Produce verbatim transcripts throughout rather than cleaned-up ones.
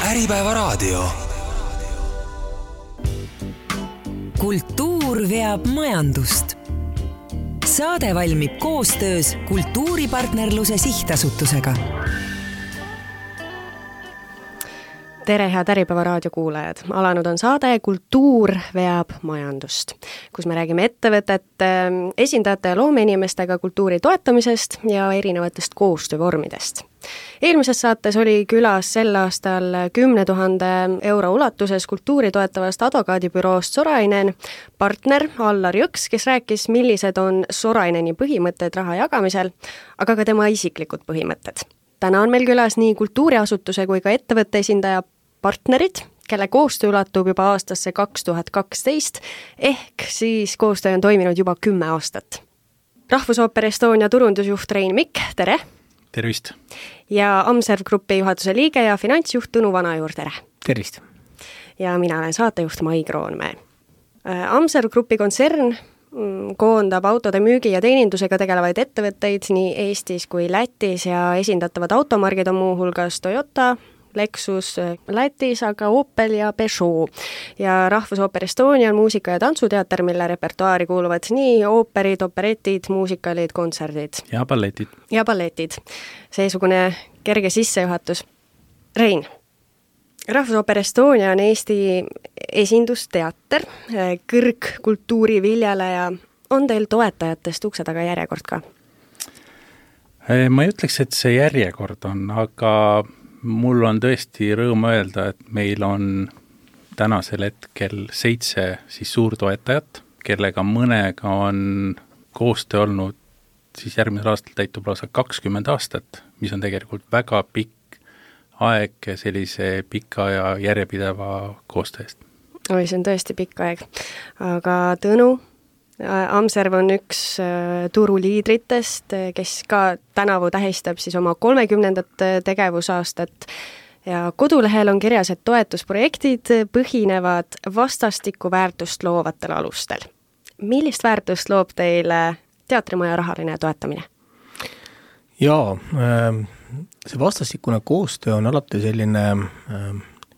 Äripäevaraadio. Kultuur veab majandust. Saade valmib koostöös Kultuuripartnerluse Sihtasutusega. Tere, head Äripäevaraadio kuulajad! Alanud on saade Kultuur veab majandust, kus me räägime ettevõtete esindajate ja loomeinimestega kultuuri toetamisest ja erinevatest koostöövormidest. Eelmises saates oli külas sel aastal kümne tuhande euro ulatuses kultuuri toetavast advokaadibüroost Sorainen partner Allar Jõks, kes rääkis, millised on Soraineni põhimõtted raha jagamisel, aga ka tema isiklikud põhimõtted. Täna on meil külas nii kultuuriasutuse kui ka ettevõtte esindaja partnerid, kelle koostöö ulatub juba aastasse kaks tuhat kaksteist, ehk siis koostöö on toiminud juba kümme aastat. Rahvusooper Estonia turundusjuht Rein Mikk, tere! Tervist! Ja Amserv Grupi juhatuse liige ja finantsjuht Tõnu Vanajuur, tere! Tervist! Ja mina olen saatejuht Mai Kroonmäe. Amserv Grupi kontsern koondab autode müügi ja teenindusega tegelevaid ettevõtteid nii Eestis kui Lätis ja esindatavad automargid on muu hulgas Toyota, Lexus Lätis, aga Opel ja Peugeot. Ja Rahvusooper Estonia on muusika- ja tantsuteater, mille repertuaari kuuluvad nii ooperid, operetid, muusikalid, kontserdid. Ja balletid. Ja balletid. Seesugune kerge sissejuhatus. Rein, Rahvusooper Estonia on Eesti esindusteater, kõrgkultuuri viljeleja. On teil toetajatest ukse taga järjekord ka? Ma ei ütleks, et see järjekord on, aga mul on tõesti rõõm öelda, et meil on tänasel hetkel seitse siis suurtoetajat, kellega mõnega on koostöö olnud siis järgmisel aastal täitub lausa kakskümmend aastat, mis on tegelikult väga pikk aeg sellise pika ja järjepideva koostöö eest. Oi, see on tõesti pikk aeg. Aga Tõnu, Amserv on üks turuliidritest, kes ka tänavu tähistab siis oma kolmekümnendat tegevusaastat ja kodulehel on kirjas, et toetusprojektid põhinevad vastastikku väärtust loovatel alustel. Millist väärtust loob teile teatrimaja rahaline toetamine? Jaa, see vastastikune koostöö on alati selline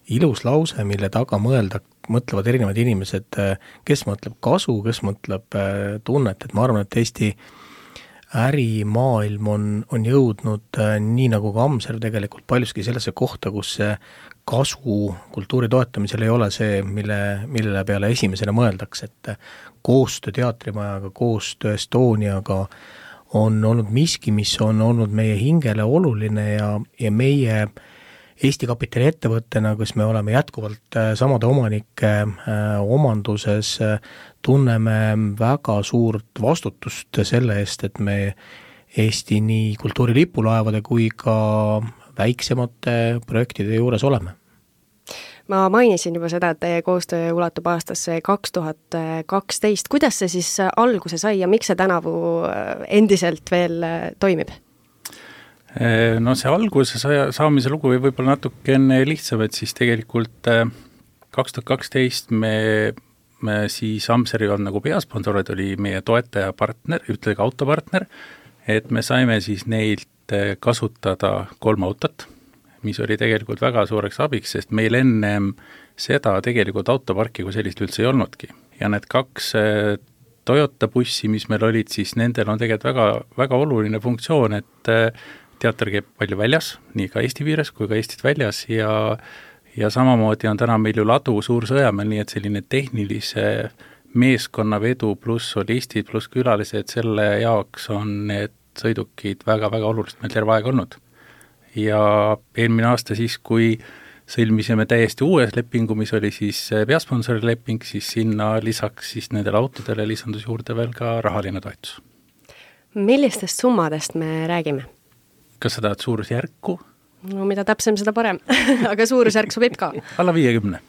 ilus lause, mille taga mõelda, mõtlevad erinevad inimesed, kes mõtleb kasu, kes mõtleb tunnet, et ma arvan, et Eesti ärimaailm on, on jõudnud nii nagu ka Amserv tegelikult paljuski sellesse kohta, kus see kasu kultuuri toetamisel ei ole see, mille, mille peale esimesena mõeldaks, et koostöö teatrimajaga, koostöö Estoniaga on olnud miski, mis on olnud meie hingele oluline ja, ja meie Eesti kapitali ettevõttena, kus me oleme jätkuvalt samade omanike omanduses, tunneme väga suurt vastutust selle eest, et me Eesti nii kultuurilipulaevade kui ka väiksemate projektide juures oleme. Ma mainisin juba seda, et teie koostöö ulatub aastasse kaks tuhat kaksteist. Kuidas see siis alguse sai ja miks see tänavu endiselt veel toimib? No see alguse saamise lugu või võib-olla natuke enne lihtsam, et siis tegelikult kaks tuhat kaksteist me, me siis Amservi on nagu peasponsorid, oli meie toetaja partner, ütlegi autopartner, et me saime siis neilt kasutada kolm autot, mis oli tegelikult väga suureks abiks, sest meil ennem seda tegelikult autoparki kui sellist üldse ei olnudki. Ja need kaks Toyota bussi, mis meil olid, siis nendel on tegelikult väga, väga oluline funktsioon, et teater käib palju väljas, nii ka Eesti piires kui ka Eestit väljas ja, ja samamoodi on täna meil ju ladu Suur-Sõjamäel, nii et selline tehnilise meeskonna vedu pluss solistid pluss külalised, selle jaoks on need sõidukid väga-väga oluliselt meil terve aeg olnud. Ja eelmine aasta siis, kui sõlmisime täiesti uues lepingu, mis oli siis peasponsori leping, siis sinna lisaks siis nendele autodele lisandus juurde veel ka rahaline toetus. Millistest summadest me räägime? Kas sa tahad suurusjärku? No mida täpsem, seda parem. Aga suurusjärk sobib ka. Alla viiekümne.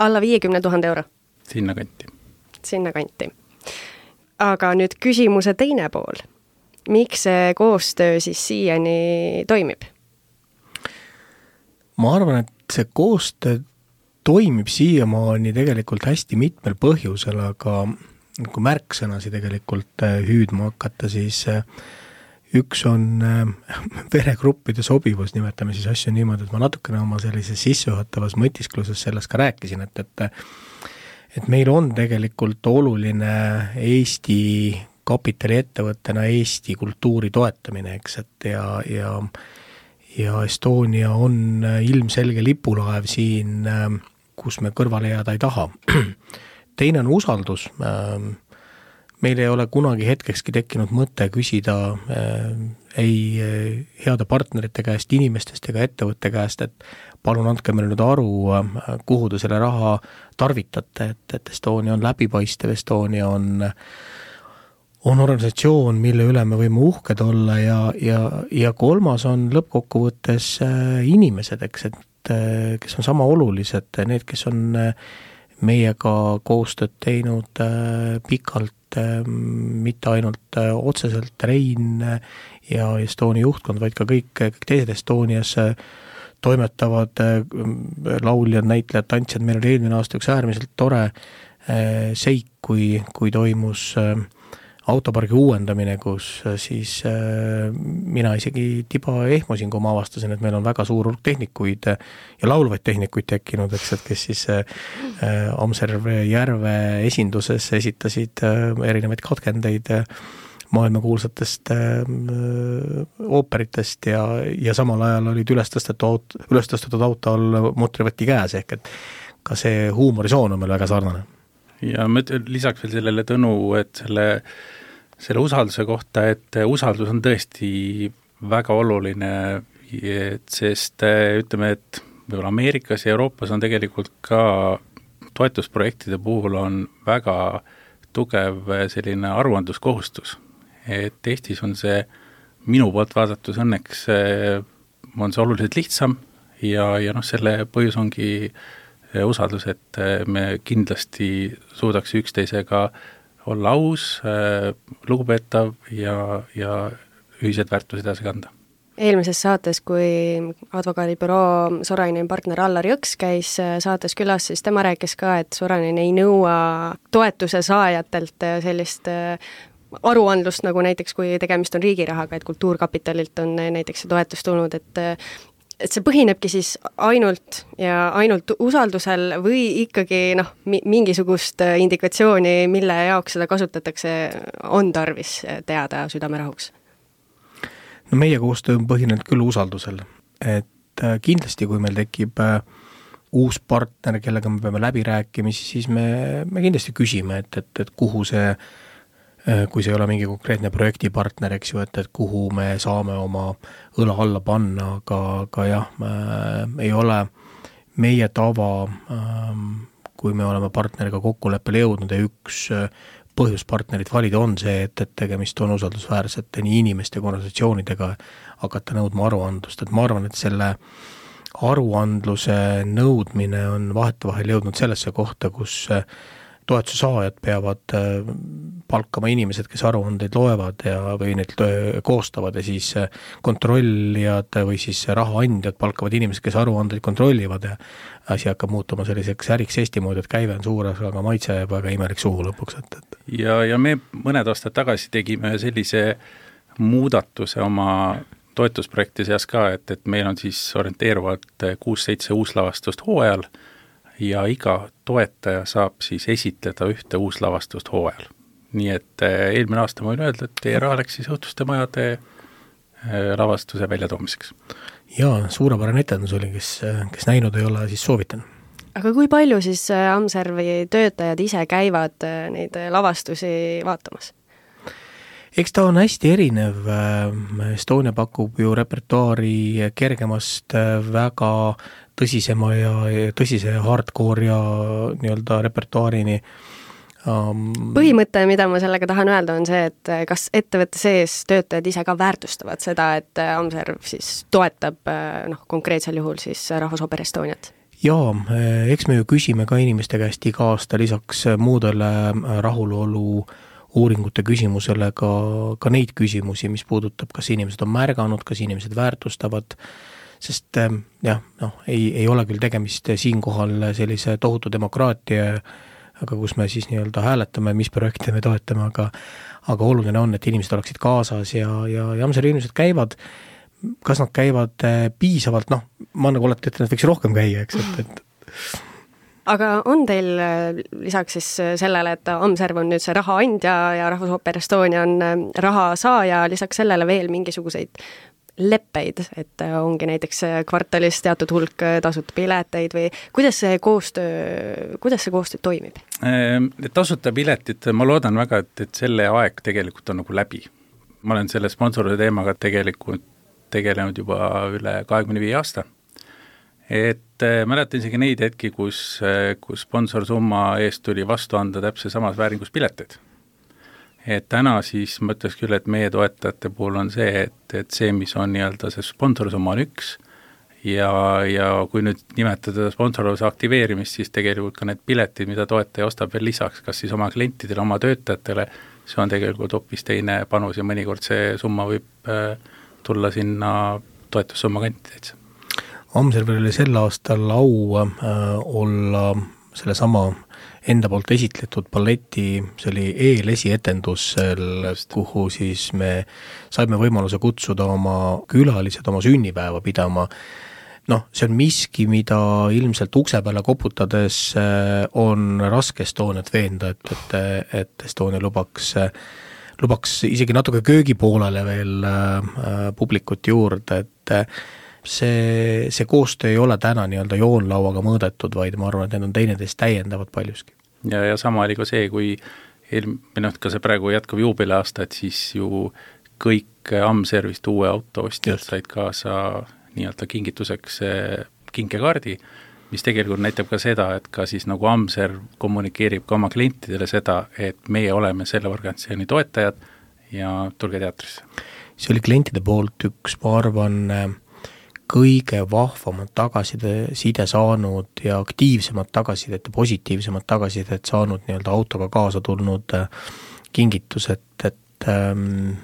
Alla viiekümne tuhande euro? Sinna kanti. Sinna kanti. Aga nüüd küsimuse teine pool. Miks see koostöö siis siiani toimib? Ma arvan, et see koostöö toimib siiamaani tegelikult hästi mitmel põhjusel, aga kui märksõnasi tegelikult hüüdma hakata, siis üks on veregruppide sobivus, nimetame siis asju niimoodi, et ma natukene oma sellises sissejuhatavas mõtiskluses sellest ka rääkisin, et, et et meil on tegelikult oluline Eesti kapitaliettevõttena Eesti kultuuri toetamine, eks, et ja, ja, ja Estonia on ilmselge lipulaev siin, kus me kõrvale jääda ei taha. Teine on usaldus. Meil ei ole kunagi hetkekski tekkinud mõte küsida ei heade partnerite käest, inimestest ega ettevõtte käest, et palun andke meile nüüd aru, kuhu te selle raha tarvitate, et, et Estonia on läbipaistev, Estonia on on organisatsioon, mille üle me võime uhked olla ja, ja, ja kolmas on lõppkokkuvõttes inimesed, eks, et kes on sama olulised, need, kes on meiega koostööd teinud pikalt, mitte ainult otseselt Rein ja Estonia juhtkond, vaid ka kõik, kõik teised Estonias toimetavad lauljad, näitlejad, tantsijad. Meil oli eelmine aasta üks äärmiselt tore seik, kui, kui toimus autopargi uuendamine, kus siis mina isegi tiba ehmusin, kui ma avastasin, et meil on väga suur hulk tehnikuid ja laulvaid tehnikuid tekkinud, eks, et kes siis Amserve järve esinduses esitasid erinevaid katkendeid maailmakuulsatest ooperitest ja, ja samal ajal olid üles tõstetud auto, üles tõstetud auto all mutrivõti käes, ehk et ka see huumorisoon on meil väga sarnane. Ja ma lisaks veel sellele Tõnu, et selle, selle usalduse kohta, et usaldus on tõesti väga oluline, et sest ütleme, et võib-olla Ameerikas ja Euroopas on tegelikult ka toetusprojektide puhul on väga tugev selline aruandluskohustus. Et Eestis on see minu poolt vaadatus õnneks on see oluliselt lihtsam ja, ja noh, selle põhjus ongi usaldus, et me kindlasti suudaks üksteisega olla aus, lugupeetav ja, ja ühised väärtused edasi kanda. Eelmises saates, kui advokaadibüroo Sorainen partner Allar Jõks käis saates külas, siis tema rääkis ka, et Sorainen ei nõua toetuse saajatelt sellist aruandlust, nagu näiteks kui tegemist on riigirahaga, et Kultuurkapitalilt on näiteks see toetus tulnud, et et see põhinebki siis ainult ja ainult usaldusel või ikkagi noh, mingisugust indikatsiooni, mille jaoks seda kasutatakse, on tarvis teada südamerahuks? No meie koostöö on põhinenud küll usaldusel, et kindlasti kui meil tekib uus partner, kellega me peame läbi rääkimisi, siis me, me kindlasti küsime, et, et, et kuhu see kui see ei ole mingi konkreetne projektipartner, eks ju, et, et kuhu me saame oma õla alla panna, aga, aga jah, ei ole meie tava, kui me oleme partneriga kokkuleppele jõudnud ja üks põhjuspartnerit valida on see, et, et tegemist on usaldusväärsete nii inimeste organisatsioonidega hakata nõudma aruandlust, et ma arvan, et selle aruandluse nõudmine on vahetevahel jõudnud sellesse kohta, kus toetuse saajad peavad palkama inimesed, kes aruandeid loevad ja, või neid koostavad ja siis kontrollijad või siis rahaandjad palkavad inimesed, kes aruandeid kontrollivad ja asi hakkab muutuma selliseks äriks Eesti moodi, et käive on suur, aga maitse jääb väga imelik suhu lõpuks. Et, et. Ja, ja me mõned aastad tagasi tegime sellise muudatuse oma toetusprojekti seas ka, et, et meil on siis orienteeruvalt kuus-seitse uuslavastust hooajal ja iga toetaja saab siis esitleda ühte uuslavastust hooajal. Nii et eelmine aasta ma võin öelda, et teie raha läks siis Õhtuste majade lavastuse väljatoomiseks. Jaa, suurepärane etendus oli, kes, kes näinud ei ole, siis soovitan. Aga kui palju siis Amservi töötajad ise käivad neid lavastusi vaatamas? Eks ta on hästi erinev. Estonia pakub ju repertuaari kergemast väga tõsisema ja tõsise hardcore ja nii-öelda repertuaarini. Põhimõte, mida ma sellega tahan öelda, on see, et kas ettevõtte sees töötajad ise ka väärtustavad seda, et Amserv siis toetab noh, konkreetsel juhul siis Rahvusoper Estoniat? Jaa, eks me ju küsime ka inimeste käest iga aasta lisaks muudele rahulolu uuringute küsimusele ka, ka neid küsimusi, mis puudutab, kas inimesed on märganud, kas inimesed väärtustavad, sest jah, noh, ei, ei ole küll tegemist siinkohal sellise tohutu demokraatia aga kus me siis nii-öelda hääletame, mis projekte me toetame, aga aga oluline on, et inimesed oleksid kaasas ja, ja, ja Amseri inimesed käivad, kas nad käivad piisavalt, noh, ma nagu olete, et nad võiks rohkem käia, eks, et, et aga on teil lisaks siis sellele, et Amserv on nüüd see raha andja ja Rahvusooper Estonia on raha saaja, lisaks sellele veel mingisuguseid leppeid, et ongi näiteks kvartalis teatud hulk tasuta pileteid või kuidas see koostöö, kuidas see koostöö toimib? Tasuta piletid, ma loodan väga, et, et selle aeg tegelikult on nagu läbi. Ma olen selle sponsoride teemaga tegelikult tegelenud juba üle kahekümne viie aasta. Et mäletan isegi neid hetki, kus, kus sponsorsumma eest tuli vastu anda täpselt samas vääringus pileteid. Et täna siis ma ütleks küll, et meie toetajate puhul on see, et, et see, mis on nii-öelda see sponsorsumma on üks ja, ja kui nüüd nimetada sponsorluse aktiveerimist, siis tegelikult ka need piletid, mida toetaja ostab veel lisaks, kas siis oma klientidele, oma töötajatele, see on tegelikult hoopis teine panus ja mõnikord see summa võib tulla sinna toetussumma kanti täitsa. Amservil oli sel aastal au äh, olla selle sama enda poolt esitletud balleti, see oli eelesietendusel, kuhu siis me saime võimaluse kutsuda oma külalised oma sünnipäeva pidama. Noh, see on miski, mida ilmselt ukse peale koputades on raske Estoniat veenda, et, et, et Estonia lubaks, lubaks isegi natuke köögipoolele veel publikut juurde, et see, see koostöö ei ole täna nii-öelda joonlauaga mõõdetud, vaid ma arvan, et need on teineteist täiendavad paljuski. Ja, ja sama oli ka see, kui noh, ka see praegu jätkuv juubeliaasta, et siis ju kõik Amservist uue auto ostjad said kaasa nii-öelda kingituseks kinkekaardi, mis tegelikult näitab ka seda, et ka siis nagu Amserv kommunikeerib ka oma klientidele seda, et meie oleme selle organisatsiooni toetajad ja tulge teatrisse. See oli klientide poolt üks, ma arvan, kõige vahvamad tagasiside saanud ja aktiivsemad tagasisidet ja positiivsemad tagasisidet saanud nii-öelda autoga kaasa tulnud kingitus, et, et ähm,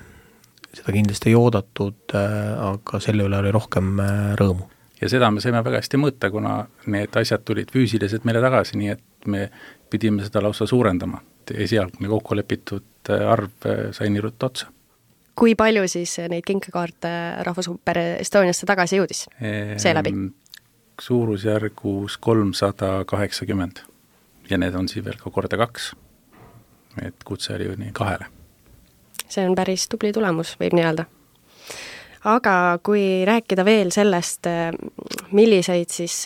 seda kindlasti ei oodatud, äh, aga selle üle oli rohkem äh, rõõmu. Ja seda me saime väga hästi mõõta, kuna need asjad tulid füüsiliselt meile tagasi, nii et me pidime seda lausa suurendama. Esialgne kokku lepitud arv sai nii ruttu otsa. Kui palju siis neid kinkekaarte Rahvusooper Estoniasse tagasi jõudis seeläbi? Suurusjärgus kolmsada kaheksakümmend ja need on siis veel ka korda kaks, et kutse oli ju nii kahele. See on päris tubli tulemus, võib nii öelda. Aga kui rääkida veel sellest, milliseid siis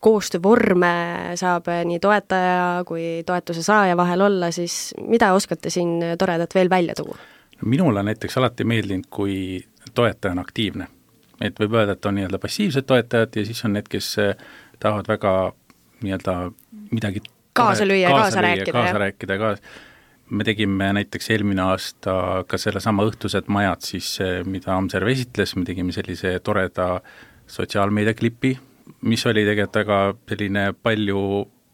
koostöövorme saab nii toetaja kui toetuse saaja vahel olla, siis mida oskate siin toredat veel välja tuua? Minule näiteks alati meeldinud, kui toetaja on aktiivne. Et võib öelda, et on nii-öelda passiivsed toetajad ja siis on need, kes tahavad väga nii-öelda midagi kaasa lüüa ja kaasa, kaasa rääkida. Kaasa rääkida kaasa. Me tegime näiteks eelmine aasta ka selle sama õhtused majad, siis, mida Amserv esitles, me tegime sellise toreda sotsiaalmeediaklipi, mis oli tegelikult väga selline palju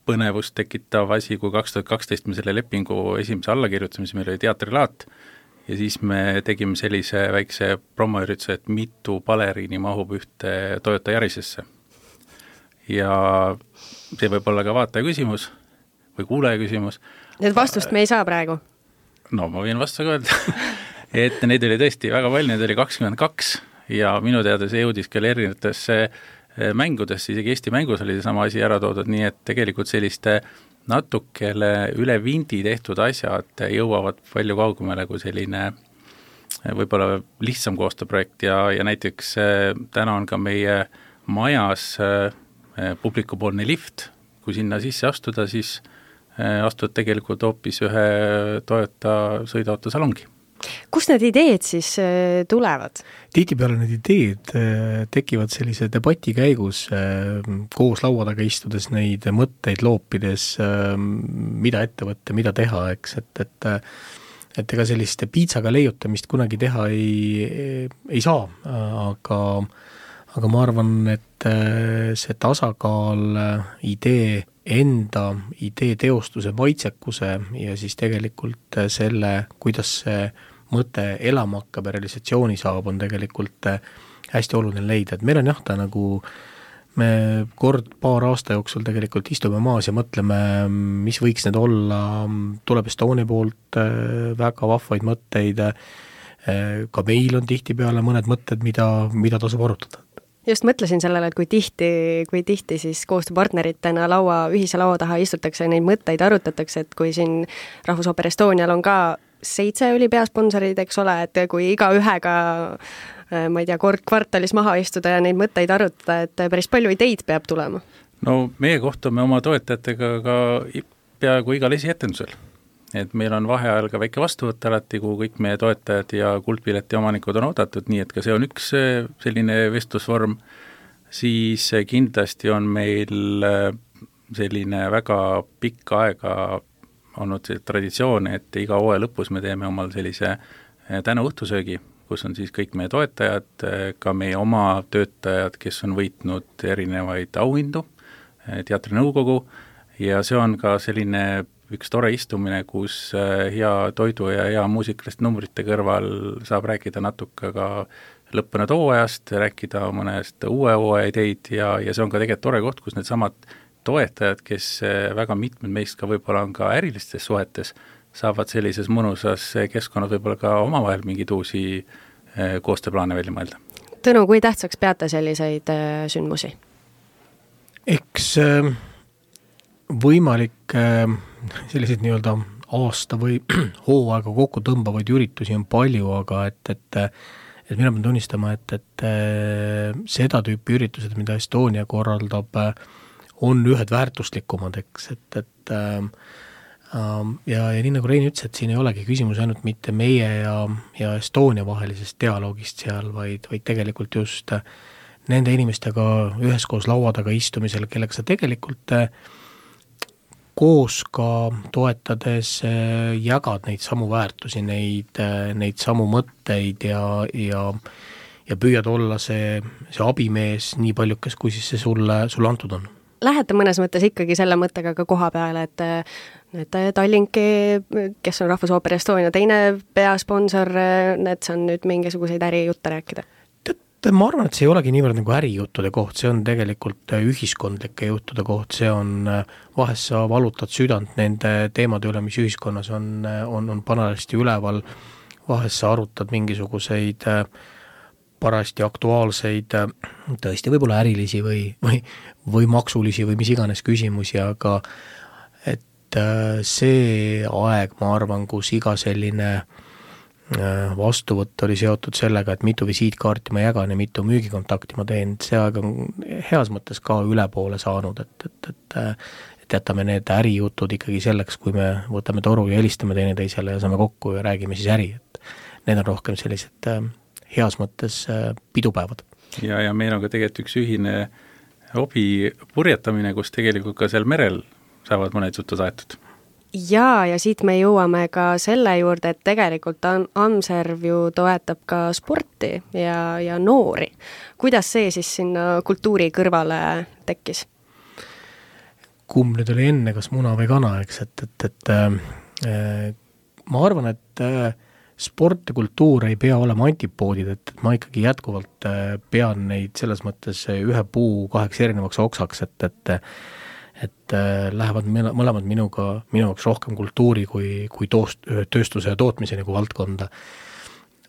põnevust tekitav asi, kui kaks tuhat kaksteist me selle lepingu esimese alla kirjutasime, siis meil oli teatrilaat ja siis me tegime sellise väikse promoürituse, et mitu baleriini mahub ühte Toyota Yarisesse. Ja see võib olla ka vaataja küsimus või kuulaja küsimus. Need vastust me ei saa praegu? No ma võin vastu öelda, et neid oli tõesti väga palju, neid oli kakskümmend kaks ja minu teada see jõudis küll erinevatesse mängudesse, isegi Eesti mängus oli sama asi ära toodud, nii et tegelikult selliste natukele üle vindi tehtud asjad jõuavad palju kaugemale kui selline võib-olla lihtsam koostööprojekt ja, ja näiteks täna on ka meie majas publikupoolne lift, kui sinna sisse astuda, siis astud tegelikult hoopis ühe Toyota sõiduautosalongi. Kust need ideed siis tulevad? Tihtipeale need ideed tekivad sellise debati käigus, koos laua taga istudes neid mõtteid loopides, mida ette võtta, mida teha, eks, et, et, et ega sellist piitsaga leiutamist kunagi teha ei, ei saa, aga, aga ma arvan, et see tasakaal idee enda, idee teostuse maitsekuse ja siis tegelikult selle, kuidas see mõte elama hakkab ja realisatsiooni saab, on tegelikult hästi oluline leida, et meil on jah, ta nagu me kord paar aasta jooksul tegelikult istume maas ja mõtleme, mis võiks need olla, tuleb Estonia poolt väga vahvaid mõtteid, ka meil on tihtipeale mõned mõtted, mida, mida tasub arutada. Just mõtlesin sellele, et kui tihti, kui tihti siis koostööpartneritena laua, ühise laua taha istutakse, neid mõtteid arutatakse, et kui siin Rahvusooper Estonial on ka seitse oli peasponsorid, eks ole, et kui iga ühega, ma ei tea, kord kvartalis maha istuda ja neid mõtteid arutada, et päris palju ideid peab tulema. No meie kohtume oma toetajatega ka peaaegu igal esietendusel. Et meil on vaheajal ka väike vastuvõtt alati, kuhu kõik meie toetajad ja kuldpileti omanikud on oodatud, nii et ka see on üks selline vestlusvorm, siis kindlasti on meil selline väga pikka aega olnud see traditsioon, et iga hooaja lõpus me teeme omal sellise tänuõhtusöögi, kus on siis kõik meie toetajad, ka meie oma töötajad, kes on võitnud erinevaid auhindu, teatrinõukogu, ja see on ka selline üks tore istumine, kus hea toidu ja hea muusikalist numbrite kõrval saab rääkida natuke ka lõppenud hooajast, rääkida mõnest uue hooaja ideid ja, ja see on ka tegelikult tore koht, kus need samad toetajad, kes väga mitmed meist ka võib-olla on ka ärilistes suhetes, saavad sellises mõnusas keskkonnas võib-olla ka omavahel mingid uusi koostööplaane välja mõelda. Tõnu, kui tähtsaks peate selliseid sündmusi? Eks võimalik selliseid nii-öelda aasta või hooaega kokku tõmbavaid üritusi on palju, aga et, et, et mina pean tunnistama, et, et seda tüüpi üritused, mida Estonia korraldab, on ühed väärtuslikumad, eks, et, et äh, ja, ja nii nagu Rein ütles, et siin ei olegi küsimus ainult mitte meie ja, ja Estonia vahelisest dialoogist seal, vaid, vaid tegelikult just nende inimestega üheskoos laua taga istumisel, kellega sa tegelikult koos ka toetades jagad neid samu väärtusi, neid, neid samu mõtteid ja, ja, ja püüad olla see, see abimees nii paljukes, kui siis see sulle, sulle antud on. Lähete mõnes mõttes ikkagi selle mõttega ka koha peale, et need Tallinki, kes on Rahvusooper Estonia teine peasponsor, need saan nüüd mingisuguseid ärijutte rääkida? Tead, ma arvan, et see ei olegi niivõrd nagu ärijuttude koht, see on tegelikult ühiskondlike juttude koht, see on, vahest sa valutad südant nende teemade üle, mis ühiskonnas on, on, on panarasti üleval, vahest sa arutad mingisuguseid parasti aktuaalseid, tõesti võib-olla ärilisi või, või, või maksulisi või mis iganes küsimusi, aga et see aeg, ma arvan, kus iga selline vastuvõtt oli seotud sellega, et mitu visiitkaarti ma jagan ja mitu müügikontakti ma teen, see aeg on heas mõttes ka ülepoole saanud, et, et, et, et jätame need ärijutud ikkagi selleks, kui me võtame toru ja helistame teineteisele ja saame kokku ja räägime siis äri, et need on rohkem sellised heas mõttes pidupäevad. Ja, ja meil on ka tegelikult üks ühine hobi purjetamine, kus tegelikult ka seal merel saavad mõned jutud aetud. Ja, ja siit me jõuame ka selle juurde, et tegelikult Amserv ju toetab ka sporti ja, ja noori. Kuidas see siis sinna kultuuri kõrvale tekkis? Kumb nüüd oli enne, kas muna või kana, eks, et, et, et äh, ma arvan, et äh, sport ja kultuur ei pea olema antipoodid, et ma ikkagi jätkuvalt pean neid selles mõttes ühe puu kaheks erinevaks oksaks, et, et, et lähevad mõlemad minuga, minu jaoks rohkem kultuuri kui, kui toost, tööstuse ja tootmise nagu valdkonda.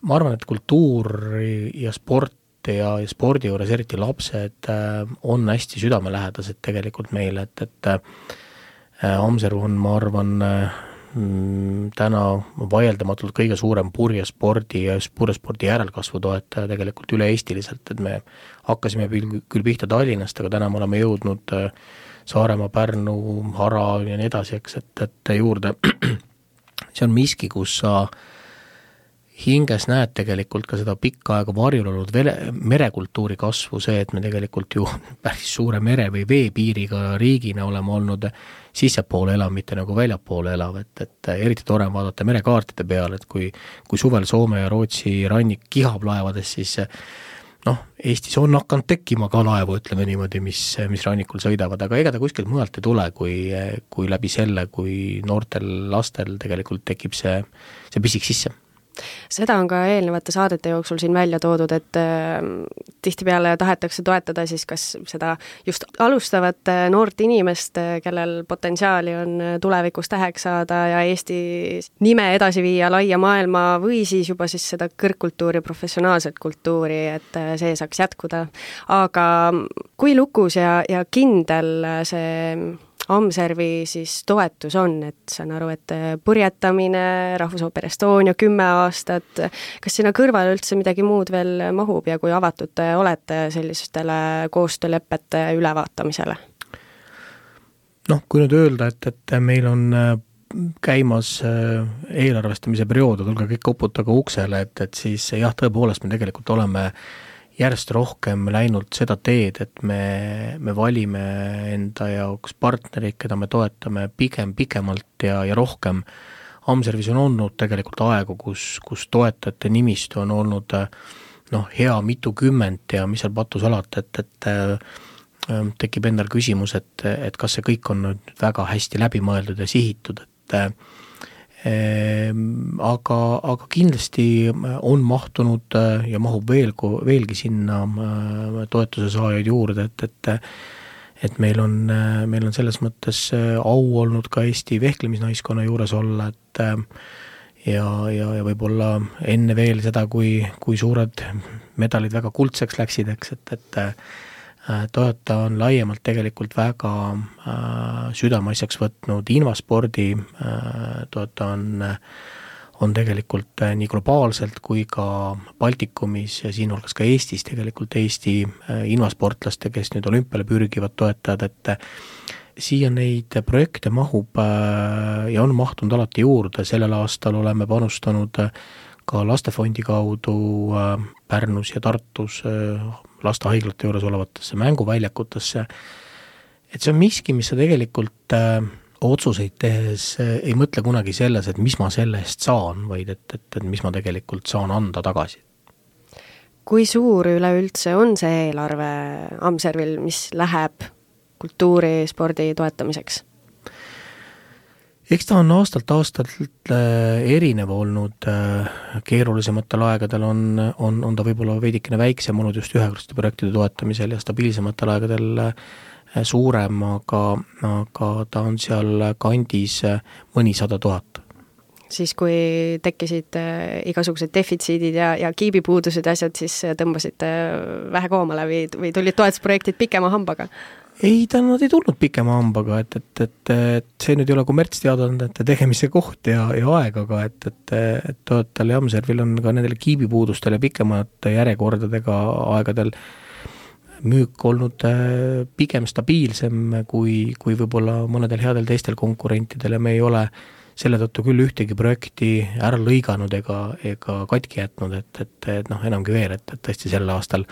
Ma arvan, et kultuur ja sport ja, ja spordi juures eriti lapsed on hästi südamelähedased tegelikult meile, et, et Amserv on, ma arvan, täna vaieldamatult kõige suurem purjespordi ja purjespordi järelkasvu toetaja tegelikult üle-eestiliselt, et me hakkasime küll pihta Tallinnast, aga täna me oleme jõudnud Saaremaa, Pärnu, Hara ja nii edasi, eks, et, et juurde see on miski, kus sa hinges näed tegelikult ka seda pikka aega varjul olnud vele, merekultuuri kasvu, see, et me tegelikult ju päris suure mere või veepiiriga riigina oleme olnud sissepoole elav, mitte nagu väljapoole elav, et, et eriti tore vaadata merekaartide peale, et kui, kui suvel Soome ja Rootsi rannik kihab laevades, siis noh, Eestis on hakanud tekkima ka laevu, ütleme niimoodi, mis, mis rannikul sõidavad, aga ega ta kuskilt mujalt ei tule, kui, kui läbi selle, kui noortel lastel tegelikult tekib see, see pisik sisse. Seda on ka eelnevate saadete jooksul siin välja toodud, et äh, tihtipeale tahetakse toetada siis kas seda just alustavat äh, noort inimest, äh, kellel potentsiaali on äh, tulevikus täheks saada ja Eesti nime edasi viia laia maailma või siis juba siis seda kõrgkultuuri, professionaalset kultuuri, et äh, see saaks jätkuda. Aga kui lukus ja, ja kindel see Amservi siis toetus on, et saan aru, et purjetamine, Rahvusooper Estonia kümme aastat, kas sinna kõrvale üldse midagi muud veel mahub ja kui avatud te olete sellistele koostöölepete ülevaatamisele? Noh, kui nüüd öelda, et, et meil on käimas eelarvestamise periood, tulge kõik koputage uksele, et, et siis jah, tõepoolest me tegelikult oleme järjest rohkem läinud seda teed, et me, me valime enda jaoks partnerid, keda me toetame pigem pikemalt ja, ja rohkem. Amservis on olnud tegelikult aegu, kus, kus toetajate nimistu on olnud noh, hea mitukümmend ja mis seal patus alati, et, et tekib endal küsimus, et, et kas see kõik on nüüd väga hästi läbimõeldud ja sihitud, et aga, aga kindlasti on mahtunud ja mahub veel, veelgi sinna toetuse saajaid juurde, et, et, et meil on, meil on selles mõttes au olnud ka Eesti vehklemisnaiskonna juures olla, et ja, ja, ja võib-olla enne veel seda, kui, kui suured medalid väga kuldseks läksid, eks, et, et Toyota on laiemalt tegelikult väga äh, südameasjaks võtnud invaspordi, äh, Toyota on, on tegelikult äh, nii globaalselt kui ka Baltikumis ja siin hulgas ka Eestis tegelikult Eesti äh, invasportlaste, kes nüüd olümpiale pürgivad toetajad, et äh, siia neid projekte mahub äh, ja on mahtunud alati juurde, sellel aastal oleme panustanud äh, ka lastefondi kaudu äh, Pärnus ja Tartus äh, lastehaiglate juures olevatesse mänguväljakutesse, et see on miski, mis sa tegelikult äh, otsuseid tehes äh, ei mõtle kunagi selles, et mis ma selle eest saan, vaid et, et, et mis ma tegelikult saan anda tagasi. Kui suur üleüldse on see eelarve Amservil, mis läheb kultuuri, spordi toetamiseks? Eks ta on aastalt aastalt erinev olnud, keerulisematel aegadel on, on, on ta võib-olla veidikene väiksem olnud just ühekordsete projektide toetamisel ja stabiilsematel aegadel suurem, aga, aga ta on seal kandis mõnisada tuhat. Siis kui tekkisid igasugused defitsiidid ja, ja kiibipuudused ja asjad, siis tõmbasite vähe koomale või, või tulid toetusprojektid pikema hambaga? Ei, ta nad ei tulnud pikema hambaga, et, et, et, et see nüüd ei ole kommertsteadandate tegemise koht ja, ja aeg, aga et, et, et Toyotal ja Amservil on ka nendele kiibipuudustel ja pikemate järjekordadega aegadel müük olnud pigem stabiilsem kui, kui võib-olla mõnedel headel teistel konkurentidel ja me ei ole selle tõttu küll ühtegi projekti ära lõiganud ega, ega katki jätnud, et, et, et noh, enamgi veel, et, et tõesti sel aastal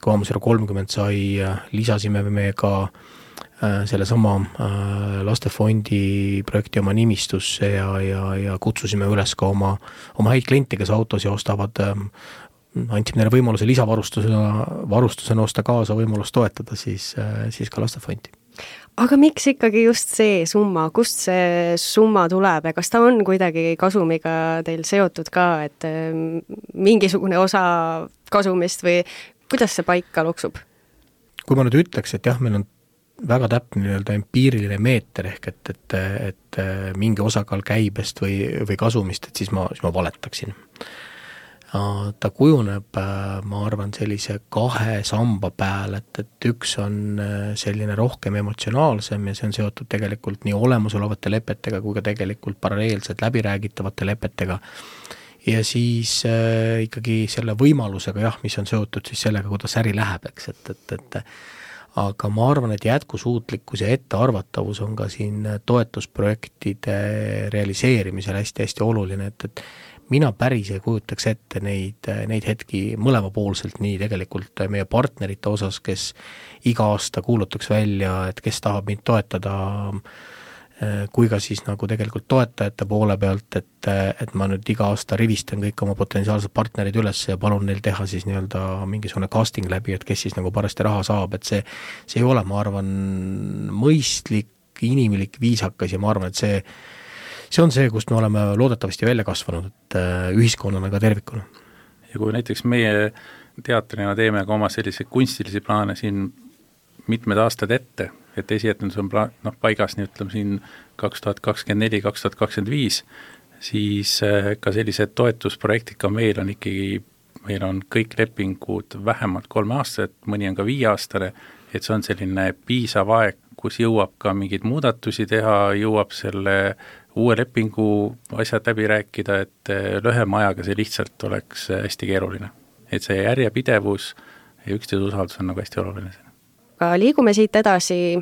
kui Amserv kolmkümmend sai, lisasime me ka selle sama lastefondi projekti oma nimistusse ja, ja, ja kutsusime üles ka oma, oma häid kliente, kes autosi ostavad, andsime neile võimaluse lisavarustusena varustusena osta kaasa võimalust toetada siis, siis ka lastefondi. Aga miks ikkagi just see summa, kust see summa tuleb ja kas ta on kuidagi kasumiga teil seotud ka, et mingisugune osa kasumist või kuidas see paika loksub? Kui ma nüüd ütleks, et jah, meil on väga täpne nii-öelda empiiriline meeter ehk et, et, et mingi osakaal käibest või, või kasumist, et siis ma, siis ma valetaksin. Ta kujuneb, ma arvan, sellise kahe samba peal, et, et üks on selline rohkem emotsionaalsem ja see on seotud tegelikult nii olemasolevate lepetega kui ka tegelikult paralleelselt läbiräägitavate lepetega. Ja siis äh, ikkagi selle võimalusega, jah, mis on seotud siis sellega, kuidas äri läheb, eks, et, et, et aga ma arvan, et jätkusuutlikkus ja ettearvatavus on ka siin toetusprojektide realiseerimisel hästi-hästi oluline, et, et mina päris ei kujutaks ette neid, neid hetki mõlemapoolselt nii tegelikult meie partnerite osas, kes iga aasta kuulutaks välja, et kes tahab mind toetada, kui ka siis nagu tegelikult toetajate poole pealt, et, et ma nüüd iga aasta rivistan kõik oma potentsiaalsed partnerid üles ja palun neil teha siis nii-öelda mingisugune casting läbi, et kes siis nagu parasti raha saab, et see, see ei ole, ma arvan, mõistlik, inimlik, viisakas ja ma arvan, et see, see on see, kust me oleme loodetavasti välja kasvanud, et ühiskonnana ka tervikuna. Ja kui näiteks meie teatrina teeme ka oma selliseid kunstilisi plaane siin mitmed aastad ette, et esietendus on pla- noh, paigas nii ütleme siin kaks tuhat kakskümmend neli kaks tuhat kakskümmend viis, siis ka sellised toetusprojektid ka meil on ikkagi, meil on kõik lepingud vähemalt kolme aastased, mõni on ka viieaastane, et see on selline piisav aeg, kus jõuab ka mingeid muudatusi teha, jõuab selle uue lepingu asjad läbi rääkida, et lühema ajaga see lihtsalt oleks hästi keeruline. Et see järjepidevus ja üksteise usaldus on nagu hästi oluline. Aga liigume siit edasi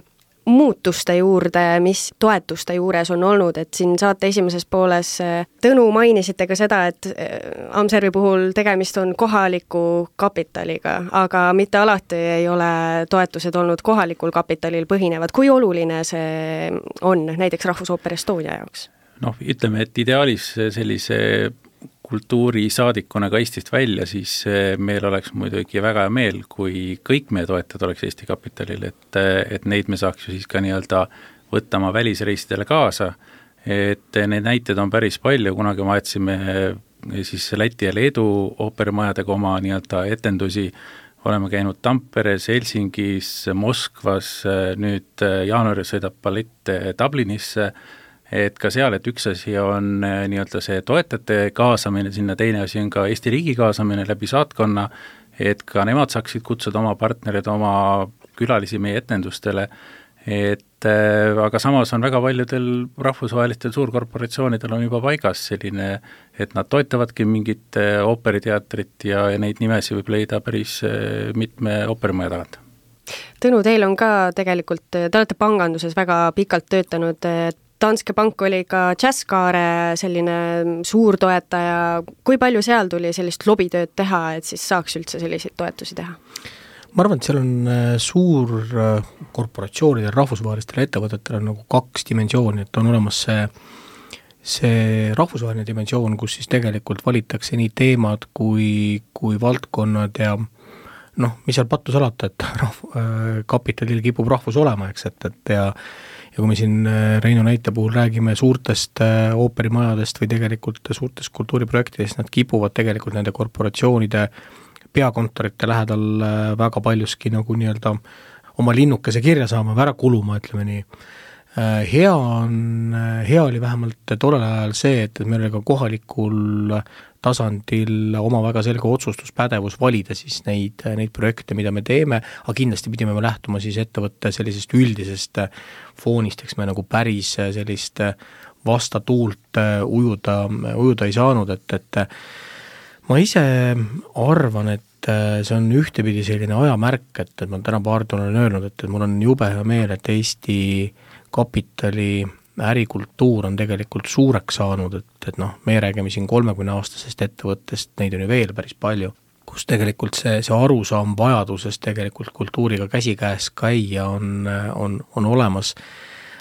muutuste juurde, mis toetuste juures on olnud, et siin saate esimeses pooles Tõnu mainisite ka seda, et Amservi puhul tegemist on kohaliku kapitaliga, aga mitte alati ei ole toetused olnud kohalikul kapitalil põhinevad. Kui oluline see on näiteks Rahvusooper Estonia jaoks? Noh, ütleme, et ideaalis sellise kultuurisaadikuna ka Eestist välja, siis meil oleks muidugi väga hea meel, kui kõik meie toetajad oleks Eesti kapitalil, et, et neid me saaks ju siis ka nii-öelda võtta oma välisreisidele kaasa, et neid näiteid on päris palju, kunagi me aedsime siis Läti ja Leedu ooperimajadega oma nii-öelda etendusi, oleme käinud Tamperes, Helsingis, Moskvas, nüüd jaanuaris sõidab ballett Dublinisse, et ka seal, et üks asi on nii-öelda see toetajate kaasamine, sinna teine asi on ka Eesti riigi kaasamine läbi saatkonna, et ka nemad saaksid kutsuda oma partnerid, oma külalisi meie etendustele, et aga samas on väga paljudel rahvusvahelistel suurkorporatsioonidel on juba paigas selline, et nad toetavadki mingit ooperiteatrit ja, ja neid nimesi võib leida päris mitme ooperimaja tagant. Tõnu, teil on ka tegelikult, te olete panganduses väga pikalt töötanud, Danske Bank oli ka Jazzkaare selline suur toetaja. Kui palju seal tuli sellist lobitööd teha, et siis saaks üldse selliseid toetusi teha? Ma arvan, et seal on suur korporatsioonidel, rahvusvahelistel ettevõtetel on nagu kaks dimensiooni, et on olemas see, see rahvusvaheline dimensioon, kus siis tegelikult valitakse nii teemad kui, kui valdkonnad ja noh, mis seal pattu salata, et rahv, kapitalil kipub rahvus olema, eks, et, et ja ja kui me siin Reino näite puhul räägime suurtest ooperimajadest või tegelikult suurtest kultuuriprojektidest, nad kipuvad tegelikult nende korporatsioonide peakontorite lähedal väga paljuski nagu nii-öelda oma linnukese kirja saama, ära kuluma, ütleme nii. Hea on, hea oli vähemalt tollel ajal see, et meil oli ka kohalikul tasandil oma väga selge otsustuspädevus valida siis neid, neid projekte, mida me teeme, aga kindlasti pidime me lähtuma siis ettevõtte sellisest üldisest foonist, eks me nagu päris sellist vastatuult ujuda, ujuda ei saanud, et, et ma ise arvan, et see on ühtepidi selline ajamärk, et, et ma täna paar tunnen olen öelnud, et, et mul on jube hea meel, et Eesti kapitali ärikultuur on tegelikult suureks saanud, et, et noh, me räägime siin kolmekümne aastasest ettevõttest, neid on ju veel päris palju, kus tegelikult see, see arusaam vajadusest tegelikult kultuuriga käsikäes käia on, on, on olemas.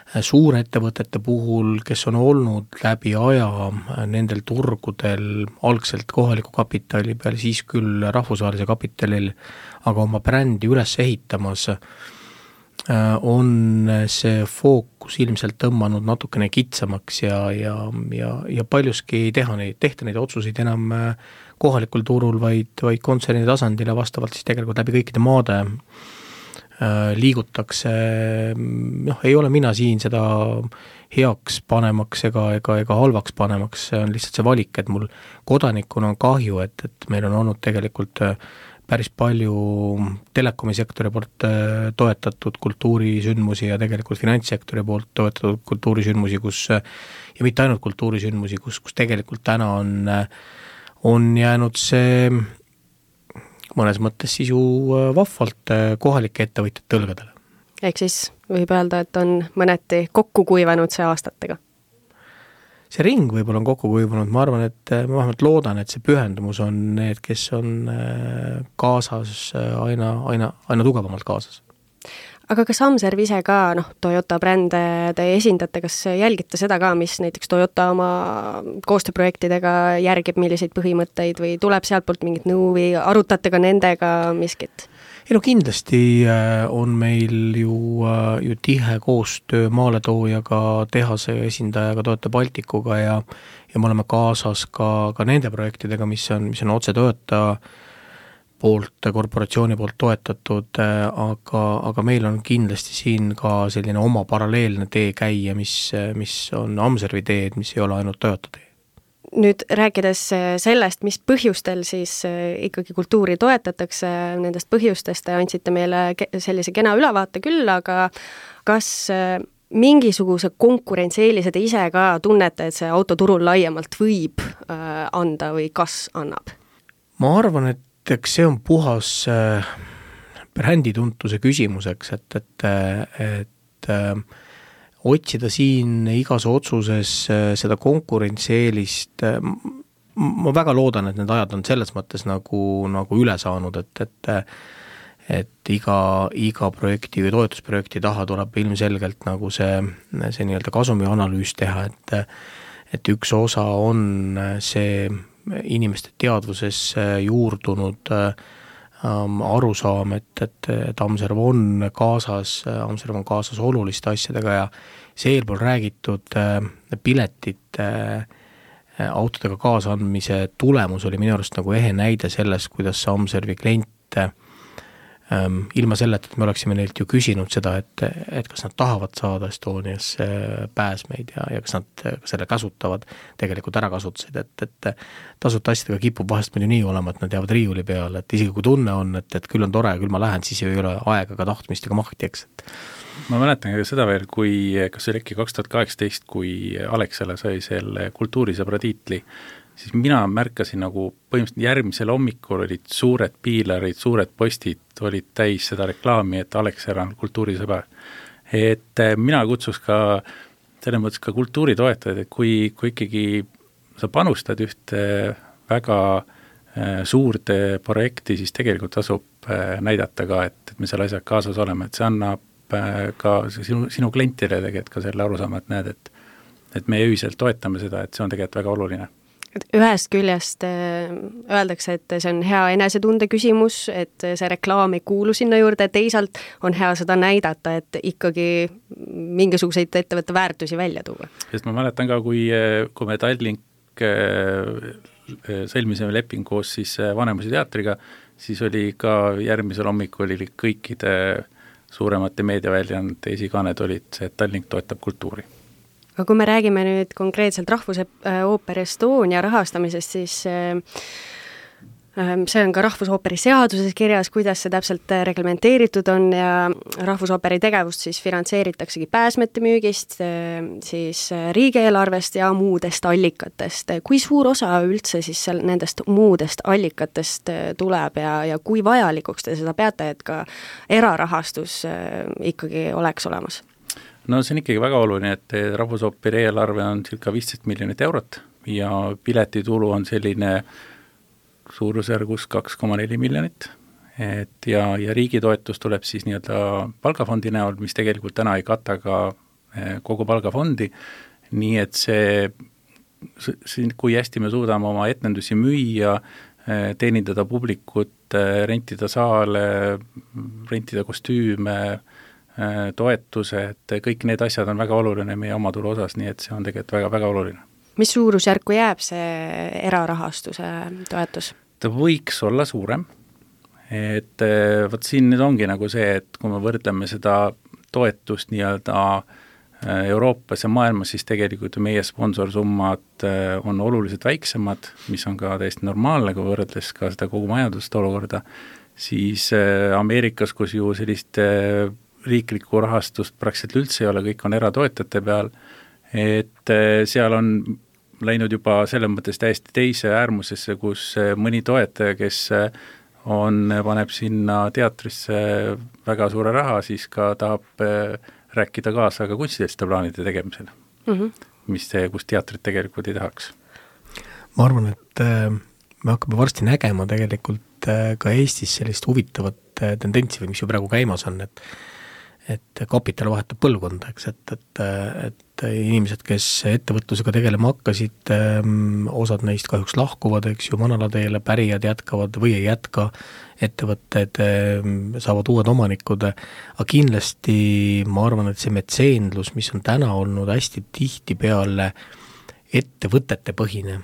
Suurettevõtete puhul, kes on olnud läbi aja nendel turgudel algselt kohaliku kapitali peal, siis küll rahvusvahelise kapitalil, aga oma brändi üles ehitamas, on see fookus ilmselt tõmmanud natukene kitsamaks ja, ja, ja, ja paljuski ei teha neid, tehta neid otsuseid enam kohalikul turul, vaid, vaid kontserni tasandil ja vastavalt siis tegelikult läbi kõikide maade liigutakse, noh, ei ole mina siin seda heaks panemaks ega, ega, ega halvaks panemaks, see on lihtsalt see valik, et mul kodanikuna on kahju, et, et meil on olnud tegelikult päris palju telekomisektori poolt toetatud kultuurisündmusi ja tegelikult finantssektori poolt toetatud kultuurisündmusi, kus, ja mitte ainult kultuurisündmusi, kus, kus tegelikult täna on, on jäänud see mõnes mõttes siis ju vahvalt kohalike ettevõtjate tõlgadele. Ehk siis võib öelda, et on mõneti kokku kuivanud see aastatega? See ring võib-olla on kokku kuivunud, ma arvan, et ma vähemalt loodan, et see pühendumus on need, kes on kaasas aina, aina, aina tugevamalt kaasas. Aga kas Amserv ise ka, noh, Toyota brände te esindate, kas jälgite seda ka, mis näiteks Toyota oma koostööprojektidega järgib, milliseid põhimõtteid või tuleb sealt poolt mingit nõu või arutate ka nendega miskit? ei no kindlasti on meil ju, ju tihe koostöö maaletoojaga, tehase esindajaga, Toyota Balticuga ja, ja me oleme kaasas ka, ka nende projektidega, mis on, mis on otse Toyota poolt, korporatsiooni poolt toetatud, aga, aga meil on kindlasti siin ka selline oma paralleelne tee käia, mis, mis on Amservi teed, mis ei ole ainult Toyota tee. Nüüd rääkides sellest, mis põhjustel siis ikkagi kultuuri toetatakse, nendest põhjustest te andsite meile sellise kena ülevaate küll, aga kas mingisuguse konkurentsieelise te ise ka tunnete, et see autoturul laiemalt võib anda või kas annab? Ma arvan, et eks see on puhas brändituntuse küsimuseks, et, et, et otsida siin igas otsuses seda konkurentsieelist, ma väga loodan, et need ajad on selles mõttes nagu, nagu üle saanud, et, et, et iga, iga projekti või toetusprojekti taha tuleb ilmselgelt nagu see, see nii-öelda kasumi analüüs teha, et, et üks osa on see inimeste teadvuses juurdunud ähm, arusaam, et, et, et Amserv on kaasas, Amserv on kaasas oluliste asjadega ja see eelpool räägitud äh, piletit äh, autodega kaasandmise tulemus oli minu arust nagu ehe näide sellest, kuidas see Amservi klient äh, ilma selleta, et me oleksime neilt ju küsinud seda, et, et kas nad tahavad saada Estonias pääsmeid ja, ja kas nad selle kasutavad, tegelikult ära kasutasid, et, et tasuta asjadega kipub vahest meil ju nii olema, et nad jäävad riiuli peale, et isegi kui tunne on, et, et küll on tore ja küll ma lähen, siis ei ole aega ka tahtmist ega mahti, eks. Ma mäletan ka seda veel, kui, kas oli äkki kaks tuhat kaheksateist, kui Alexela sai selle kultuurisõbra tiitli, siis mina märkasin nagu põhimõtteliselt järgmisel hommikul olid suured piilarid, suured postid olid täis seda reklaami, et Alexela on kultuurisõber. Et mina kutsus ka selles mõttes ka kultuuritoetajaid, et kui, kui ikkagi sa panustad ühte väga suurde projekti, siis tegelikult tasub näidata ka, et, et me seal asjad kaasas oleme, et see annab ka sinu, sinu klientile tegelikult ka selle arusaama, et näed, et, et me ühiselt toetame seda, et see on tegelikult väga oluline. Ühest küljest öeldakse, et see on hea enesetunde küsimus, et see reklaam ei kuulu sinna juurde, teisalt on hea seda näidata, et ikkagi mingisuguseid ettevõtte väärtusi välja tuua. Sest ma mäletan ka, kui, kui me Tallink sõlmisime leping koos siis Vanemuise teatriga, siis oli ka järgmisel hommikul oli kõikide suuremate meediaväljaannete esikanned olid see, et Tallink toetab kultuuri. Aga kui me räägime nüüd konkreetselt Rahvusooper Estonia rahastamisest, siis see on ka Rahvusooperi seaduses kirjas, kuidas see täpselt reglementeeritud on ja Rahvusooperi tegevust siis finantseeritaksegi pääsmete müügist, siis riigieelarvest ja muudest allikatest. Kui suur osa üldse siis seal nendest muudest allikatest tuleb ja, ja kui vajalikuks te seda peate, et ka erarahastus ikkagi oleks olemas? No see on ikkagi väga oluline, et Rahvusooperi eelarve on circa viisteist miljonit eurot ja piletitulu on selline suurusjärgus kaks koma neli miljonit. Et ja, ja riigi toetus tuleb siis nii-öelda palgafondi näol, mis tegelikult täna ei kata ka kogu palgafondi, nii et see, kui hästi me suudame oma etnendusi müüa, teenindada publikut, rentida saale, rentida kostüüme, toetuse, et kõik need asjad on väga oluline meie omatulu osas, nii et see on tegelikult väga, väga oluline. Mis suurusjärku jääb see erarahastuse toetus? Ta võiks olla suurem, et võt siin nüüd ongi nagu see, et kui me võrdleme seda toetust nii-öelda Euroopas ja maailmas, siis tegelikult meie sponsorsummad on oluliselt väiksemad, mis on ka täiesti normaalne, kui võrdles ka seda kogu majandust olukorda, siis Ameerikas, kus ju sellist riiklikku rahastust praktiliselt üldse ei ole, kõik on eratoetajate peal, et seal on läinud juba selles mõttes täiesti teise äärmusesse, kus mõni toetaja, kes on, paneb sinna teatrisse väga suure raha, siis ka tahab rääkida kaasa ka kunstiliste plaanide tegemisel, mm -hmm. mis see, kus teatrit tegelikult ei tahaks. Ma arvan, et me hakkame varsti nägema tegelikult ka Eestis sellist huvitavat tendentsi, või mis ju praegu käimas on, et et kapital vahetab põlvkonda, eks, et, et, et et inimesed, kes ettevõtlusega tegelema hakkasid, osad neist kahjuks lahkuvad, eks ju, manalateele, pärijad jätkavad või ei jätka, ettevõtted saavad uued omanikud, aga kindlasti ma arvan, et see metseenlus, mis on täna olnud hästi tihti peale ettevõtete põhine,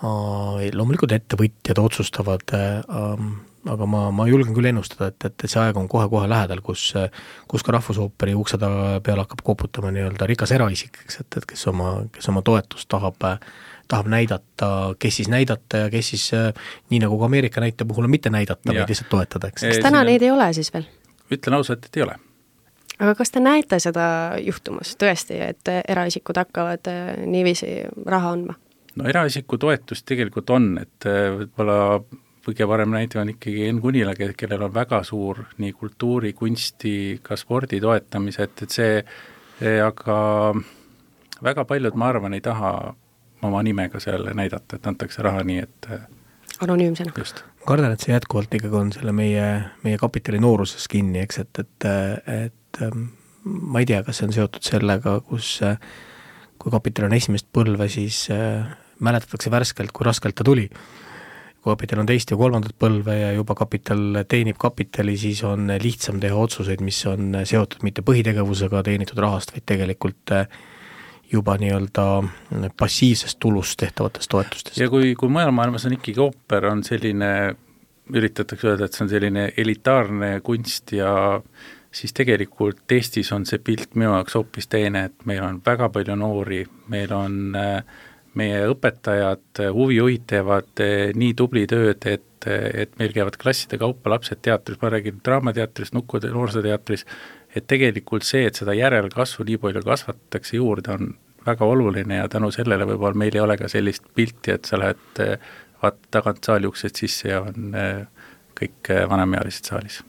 loomulikult ettevõtjad otsustavad, aga ma, ma julgen küll ennustada, et, et see aeg on kohe-kohe lähedal, kus, kus ka Rahvusooperi ukseda peale hakkab koputama nii-öelda rikas eraisik, eks, et, et kes oma, kes oma toetust tahab, tahab näidata, kes siis näidata ja kes siis nii nagu ka Ameerika näite puhul on mitte näidata, vaid lihtsalt toetada, eks. Kas täna neid ei ole siis veel? Ütlen ausalt, et ei ole. Aga kas te näete seda juhtumas tõesti, et eraisikud hakkavad niiviisi raha andma? No eraisiku toetust tegelikult on, et võib-olla kõige parem näide on ikkagi Enn Kunila, kellel on väga suur nii kultuuri, kunsti, ka spordi toetamised, et see, aga väga paljud, ma arvan, ei taha oma nimega seal näidata, et antakse raha nii, et anonüümsena. Just. Ma kardan, et see jätkuvalt ikkagi on selle meie, meie kapitali nooruses kinni, eks, et, et, et ma ei tea, kas see on seotud sellega, kus kui kapital on esimest põlve, siis mäletatakse värskelt, kui raskelt ta tuli. Kui kapital on teist ja kolmandat põlve ja juba kapital teenib kapitali, siis on lihtsam teha otsuseid, mis on seotud mitte põhitegevusega teenitud rahast, vaid tegelikult juba nii-öelda passiivsest tulust tehtavatest toetustest. Ja kui, kui mujal maailmas on ikkagi ooper, on selline, üritatakse öelda, et see on selline elitaarne kunst ja siis tegelikult Eestis on see pilt minu jaoks hoopis teine, et meil on väga palju noori, meil on meie õpetajad, huvijuhid teevad nii tubli tööd, et, et meil käivad klasside kaupa lapsed teatris, ma räägin draamateatris, nukkude noorsooteatris, et tegelikult see, et seda järelkasvu nii palju kasvatatakse juurde, on väga oluline ja tänu sellele võib-olla meil ei ole ka sellist pilti, et sa lähed vaat tagant saali uksest sisse ja on kõik vanemealised saalis.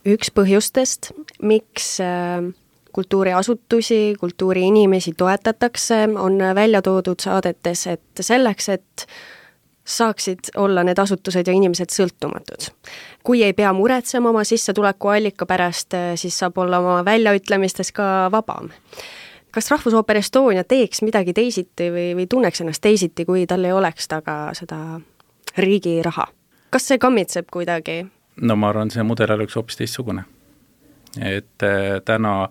Üks põhjustest, miks kultuuriasutusi, kultuuriinimesi toetatakse, on välja toodud saadetes, et selleks, et saaksid olla need asutused ja inimesed sõltumatud. Kui ei pea muretsema oma sissetuleku allika pärast, siis saab olla oma väljaütlemistes ka vabam. Kas Rahvusooper Estonia teeks midagi teisiti või, või tunneks ennast teisiti, kui tal ei oleks taga seda riigi raha? Kas see kammitseb kuidagi? No ma arvan, see mudel oleks hoopis teistsugune. Et äh, täna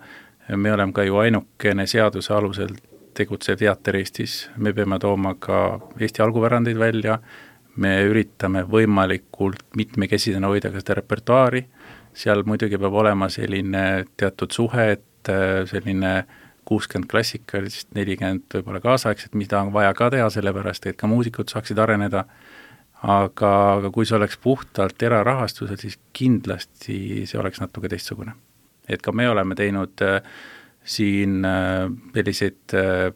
me oleme ka ju ainukene seaduse alusel tegutsev teater Eestis, me peame tooma ka Eesti algupärandeid välja, me üritame võimalikult mitmekesisena hoida ka seda repertuaari, seal muidugi peab olema selline teatud suhe, et selline kuuskümmend klassikalist, nelikümmend võib-olla kaasaegset, mida on vaja ka teha, sellepärast et ka muusikud saaksid areneda, aga, aga kui see oleks puhtalt erarahastusel, siis kindlasti see oleks natuke teistsugune. Et ka me oleme teinud äh, siin äh, selliseid äh,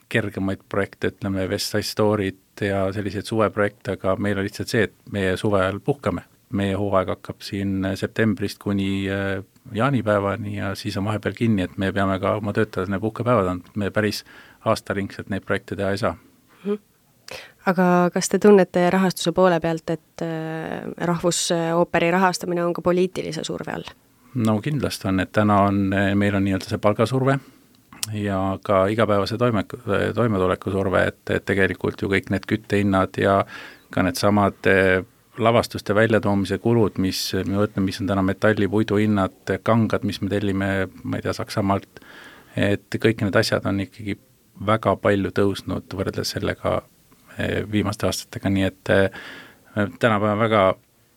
kergemaid projekte, ütleme West Side Story't ja selliseid suveprojekte, aga meil on lihtsalt see, et meie suve ajal puhkame. Meie hooaeg hakkab siin septembrist kuni äh, jaanipäevani ja siis on vahepeal kinni, et me peame ka oma töötajad puhkepäevad andma, me päris aastaringselt neid projekte teha ei saa. Mm-hmm. Aga kas te tunnete rahastuse poole pealt, et Rahvusooperi rahastamine on ka poliitilise surve all? No kindlasti on, et täna on, meil on nii-öelda see palgasurve ja ka igapäevase toime, toimetuleku surve, et, et tegelikult ju kõik need küttehinnad ja ka need samad lavastuste väljatoomise kulud, mis, me võtleme, mis on täna metalli, puidu hinnad, kangad, mis me tellime, ma ei tea, Saksamaalt, et kõik need asjad on ikkagi väga palju tõusnud võrreldes sellega viimaste aastatega, nii et täna peame väga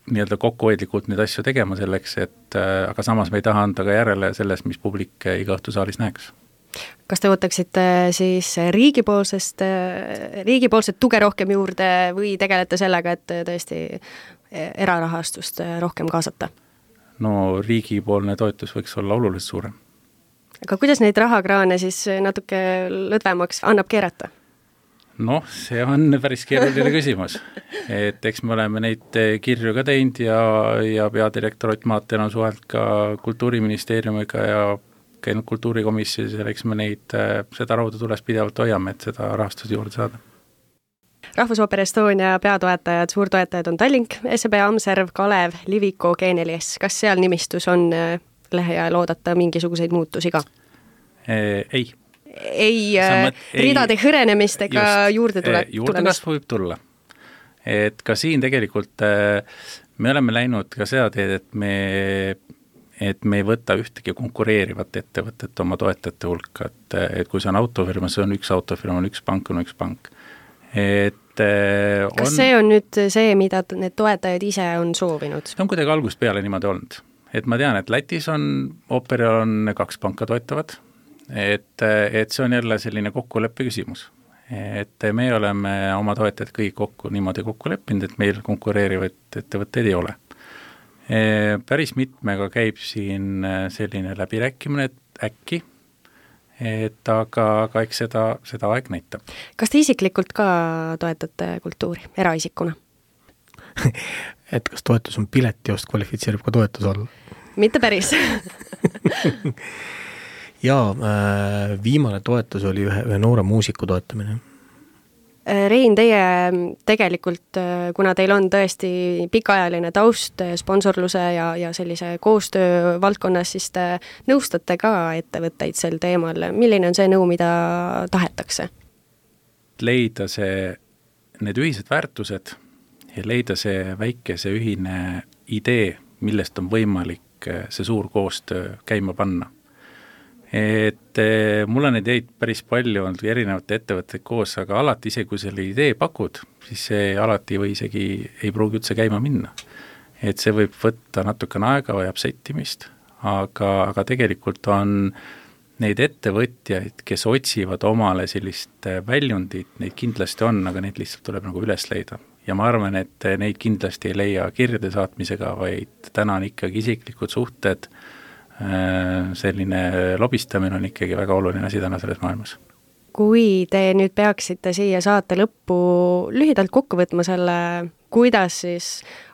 nii-öelda kokkuhoidlikult neid asju tegema selleks, et aga samas me ei taha anda ka järele selles, mis publik iga õhtu saalis näeks. Kas te võtaksite siis riigipoolsest, riigipoolset tuge rohkem juurde või tegelete sellega, et tõesti erarahastust rohkem kaasata? No riigipoolne toetus võiks olla oluliselt suurem. Aga kuidas neid rahakraane siis natuke lõdvemaks annab keerata? Noh, see on päris keeruline küsimus, et eks me oleme neid kirju ka teinud ja, ja peadirektor Ott Maaten on suhelt ka kultuuriministeeriumiga ja käinud kultuurikomisjonis ja eks me neid, seda rauda tules pidevalt hoiame, et seda rahastust juurde saada. Rahvusooper Estonia peatoetajad, suurtoetajad on Tallink, S B Amserv, Kalev, Liviko, G neli S. Kas seal nimistus on lähiajal oodata mingisuguseid muutusi ka? Ei. ei mõt, ridade hõrenemist ega juurde tuleb, juurdekasv võib tulla. Et ka siin tegelikult me oleme läinud ka seda teed, et me, et me ei võta ühtegi konkureerivat ettevõtet oma toetajate hulka, et, et kui see on autofirma, see on üks autofirma, on üks pank, on üks pank. Et on, kas see on nüüd see, mida need toetajad ise on soovinud? See on kuidagi algust peale niimoodi olnud. Et ma tean, et Lätis on, Operil on kaks panka toetavad, et, et see on jälle selline kokkuleppe küsimus. Et me oleme oma toetajad kõik kokku niimoodi kokku leppinud, et meil konkureerivaid ettevõtteid ei ole. E, päris mitmega käib siin selline läbirääkimine, et äkki, et aga, aga eks seda, seda aeg näitab. Kas te isiklikult ka toetate kultuuri eraisikuna? et kas toetus on piletiost, kvalifitseerib ka toetus olla? Mitte päris. Jaa, äh, viimane toetus oli ühe, ühe noore muusiku toetamine. Rein, teie tegelikult, kuna teil on tõesti pikaajaline taust sponsorluse ja, ja sellise koostöö valdkonnas, siis te nõustate ka ettevõtteid sel teemal. Milline on see nõu, mida tahetakse? Leida see, need ühised väärtused ja leida see väike, see ühine idee, millest on võimalik see suur koostöö käima panna. Et mul on ideid päris palju olnud erinevate ettevõtteid koos, aga alati ise, kui selle idee pakud, siis see alati või isegi ei pruugi üldse käima minna. Et see võib võtta natukene aega, vajab settimist, aga, aga tegelikult on neid ettevõtjaid, kes otsivad omale sellist väljundit, neid kindlasti on, aga neid lihtsalt tuleb nagu üles leida. Ja ma arvan, et neid kindlasti ei leia kirjade saatmisega, vaid täna on ikkagi isiklikud suhted, selline lobistamine on ikkagi väga oluline asi täna selles maailmas. Kui te nüüd peaksite siia saate lõppu lühidalt kokku võtma selle, kuidas siis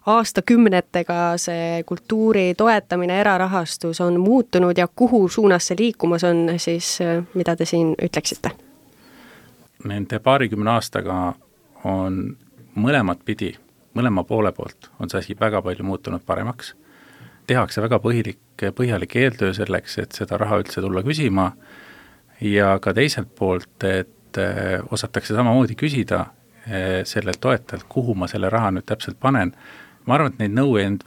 aastakümnetega see kultuuri toetamine, erarahastus on muutunud ja kuhu suunas see liikumas on, siis mida te siin ütleksite? Nende paarikümne aastaga on mõlemat pidi, mõlema poole poolt on see asi väga palju muutunud paremaks. Tehakse väga põhilik, põhjalik eeltöö selleks, et seda raha üldse tulla küsima ja ka teiselt poolt, et osatakse samamoodi küsida sellelt toetajalt, kuhu ma selle raha nüüd täpselt panen. Ma arvan, et neid nõuand,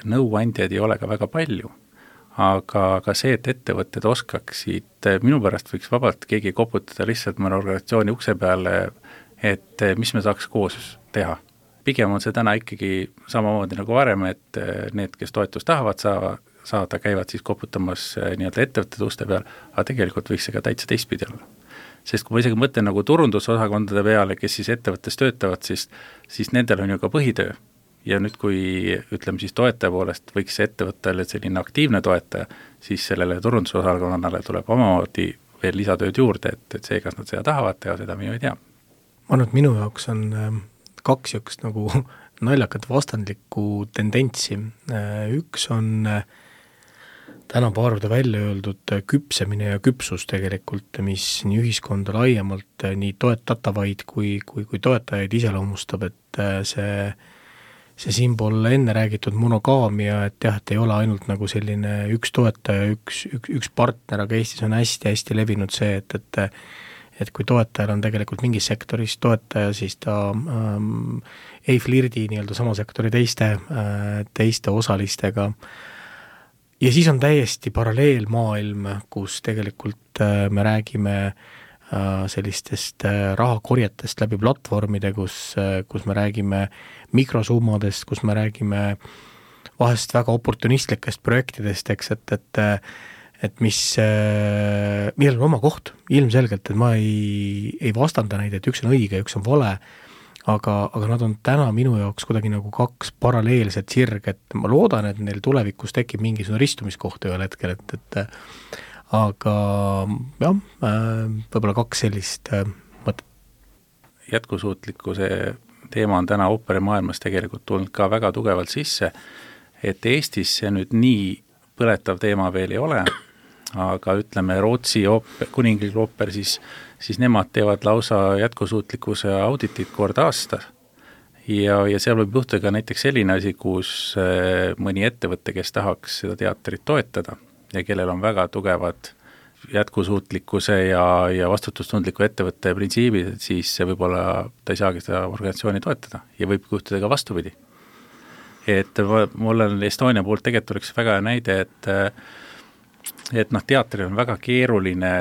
nõuandjaid ei ole ka väga palju, aga, aga see, et ettevõtted oskaksid, minu pärast võiks vabalt keegi koputada lihtsalt mõne organisatsiooni ukse peale, et mis me saaks koos teha. Pigem on see täna ikkagi samamoodi nagu varem, et need, kes toetust tahavad saada, saada käivad siis koputamas nii-öelda ettevõtted uste peal, aga tegelikult võiks see ka täitsa teistpidi olla. Sest kui ma isegi mõtlen nagu turundusosakondade peale, kes siis ettevõttes töötavad, siis, siis nendel on ju ka põhitöö. Ja nüüd, kui ütleme siis toetaja poolest võiks see ettevõttele selline aktiivne toetaja, siis sellele turundusosakonnale tuleb omamoodi veel lisatööd juurde, et, et see, kas nad seda tahavad teha, seda minu ei tea. Ma arvan, et minu jaoks on kaks jõkst nagu naljakat vastandlikku tendentsi. Üks on täna paarvada välja öeldud küpsemine ja küpsus tegelikult, mis nii ühiskonda laiemalt nii toetatavaid kui, kui, kui toetajaid iseloomustab, et see, see siinpool enne räägitud monogaamia, et jah, et ei ole ainult nagu selline üks toetaja, üks, üks, üks partner, aga Eestis on hästi-hästi levinud see, et, et et kui toetajal on tegelikult mingis sektoris toetaja, siis ta ähm, ei flirdi nii-öelda sama sektori teiste, äh, teiste osalistega. Ja siis on täiesti paralleelmaailm, kus tegelikult äh, me räägime äh, sellistest äh, rahakorjetest läbi platvormide, kus, äh, kus me räägime mikrosummadest, kus me räägime vahest väga oportunistlikest projektidest, eks, et, et et mis, millel on oma koht, ilmselgelt, et ma ei, ei vastanda neid, et üks on õige ja üks on vale, aga, aga nad on täna minu jaoks kuidagi nagu kaks paralleelset sirg, et ma loodan, et neil tulevikus tekib mingisugune ristumiskoht ühel hetkel, et, et aga jah, võib-olla kaks sellist mõtet. Jätkusuutlikkuse teema on täna ooperimaailmas tegelikult tulnud ka väga tugevalt sisse, et Eestis see nüüd nii põletav teema veel ei ole, aga ütleme Rootsi ooper, kuninglik ooper, siis, siis nemad teevad lausa jätkusuutlikkuse auditit kord aasta ja, ja seal võib juhtuda ka näiteks selline asi, kus mõni ettevõte, kes tahaks seda teatrit toetada ja kellel on väga tugevad jätkusuutlikkuse ja, ja vastutustundliku ettevõtte printsiibid, et siis võib-olla ta ei saagi seda organisatsiooni toetada ja võib juhtuda ka vastupidi. Et mul on Estonia poolt tegelikult oleks väga hea näide, et et noh, teatril on väga keeruline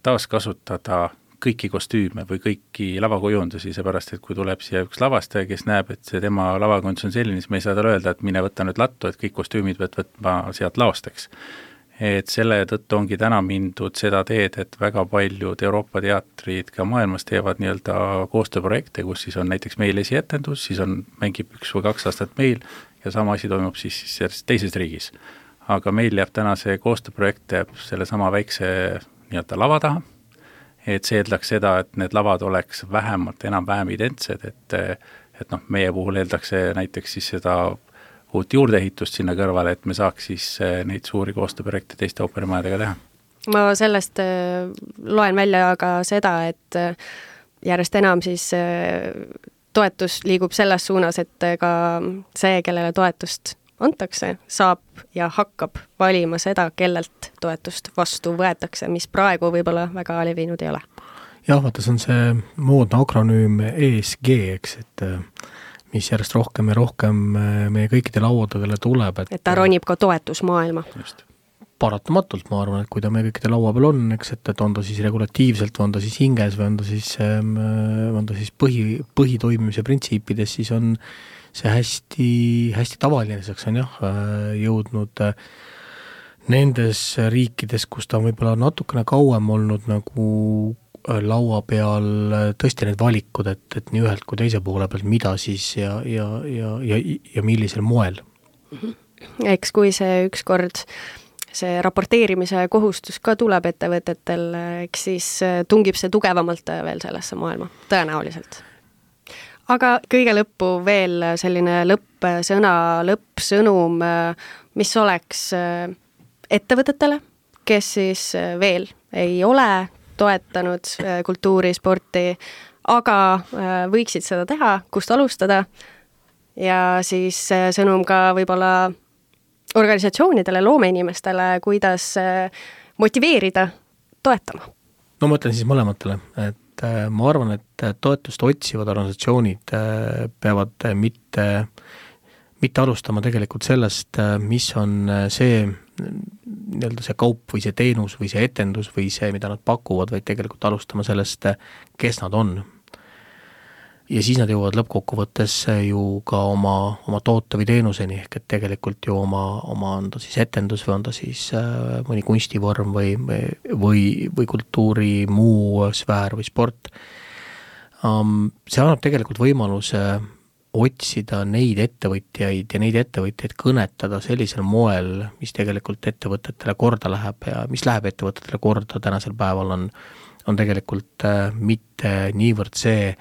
taaskasutada kõiki kostüüme või kõiki lavakujundusi, seepärast, et kui tuleb siia üks lavastaja, kes näeb, et see tema lavakujundus on selline, siis me ei saa talle öelda, et mine võtta nüüd lattu, et kõik kostüümid pead võtma sealt laosteks. Et selle tõttu ongi täna mindud seda teed, et väga paljud Euroopa teatrid ka maailmas teevad nii-öelda koostööprojekte, kus siis on näiteks meil esietendus, siis on, mängib üks või kaks aastat meil ja sama asi toimub siis, siis teises riigis. Aga meil jääb täna see koostööprojekt jääb selle sama väikse nii-öelda lava taha, et see eeldaks seda, et need lavad oleks vähemalt enam-vähem identsed, et, et noh, meie puhul eeldakse näiteks siis seda uut juurdeehitust sinna kõrvale, et me saaks siis neid suuri koostööprojekte teiste ooperimajadega teha. Ma sellest loen välja ka seda, et järjest enam siis toetus liigub selles suunas, et ka see, kellele toetust antakse, saab ja hakkab valima seda, kellelt toetust vastu võetakse, mis praegu võib-olla väga levinud ei ole. Jah, vaata, see on see moodne akronüüm E S G, eks, et mis järjest rohkem ja rohkem meie kõikide lauadele tuleb. Et, et ta ronib ka toetusmaailma. Just. Paratamatult, ma arvan, et kui ta meie kõikide laua peal on, eks, et, et on ta siis regulatiivselt, või on ta siis hinges, või on ta siis, on ta siis põhi, põhitoimimise printsiipides, siis on see hästi, hästi tavaliseks on jah, jõudnud nendes riikides, kus ta on võib-olla natukene kauem olnud nagu laua peal tõesti need valikud, et, et nii ühelt kui teise poole pealt, mida siis ja, ja, ja, ja, ja millisel moel. Eks kui see ükskord see raporteerimise kohustus ka tuleb ettevõtetel, eks siis tungib see tugevamalt veel sellesse maailma, tõenäoliselt. Aga kõige lõppu veel selline lõppsõna, lõppsõnum, mis oleks ettevõtetele, kes siis veel ei ole toetanud kultuuri, sporti, aga võiksid seda teha, kust alustada ja siis sõnum ka võib-olla organisatsioonidele, loomeinimestele, kuidas motiveerida toetama. No ma ütlen siis mõlematele, et ma arvan, et toetust otsivad organisatsioonid peavad mitte, mitte alustama tegelikult sellest, mis on see nii-öelda see kaup või see teenus või see etendus või see, mida nad pakuvad, vaid tegelikult alustama sellest, kes nad on. Ja siis nad jõuavad lõppkokkuvõttes ju ka oma, oma toote või teenuseni, ehk et tegelikult ju oma, oma on ta siis etendus või on ta siis mõni kunstivorm või, või, või kultuuri muu sfäär või sport. See annab tegelikult võimaluse otsida neid ettevõtjaid ja neid ettevõtjaid kõnetada sellisel moel, mis tegelikult ettevõtetele korda läheb ja mis läheb ettevõtetele korda tänasel päeval on, on tegelikult mitte niivõrd see,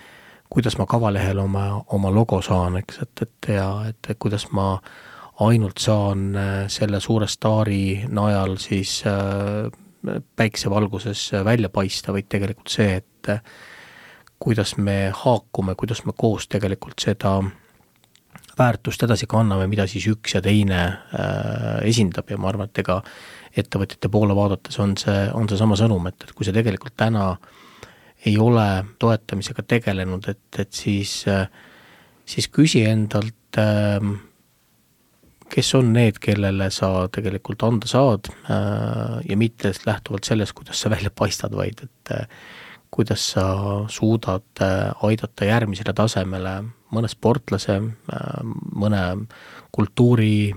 kuidas ma kavalehel oma, oma logo saan, eks, et, et, ja, et kuidas ma ainult saan selle suure staari najal siis päiksevalguses välja paista, vaid tegelikult see, et kuidas me haakume, kuidas me koos tegelikult seda väärtust edasi kanname, mida siis üks ja teine äh, esindab ja ma arvan, et ega ettevõtjate poole vaadates on see, on see sama sõnum, et, et kui see tegelikult täna ei ole toetamisega tegelenud, et, et siis, äh, siis küsi endalt, äh, kes on need, kellele sa tegelikult anda saad äh, ja mitte lähtuvalt sellest, kuidas sa välja paistad, vaid et äh, kuidas sa suudad aidata järgmisele tasemele mõne sportlase, mõne kultuuri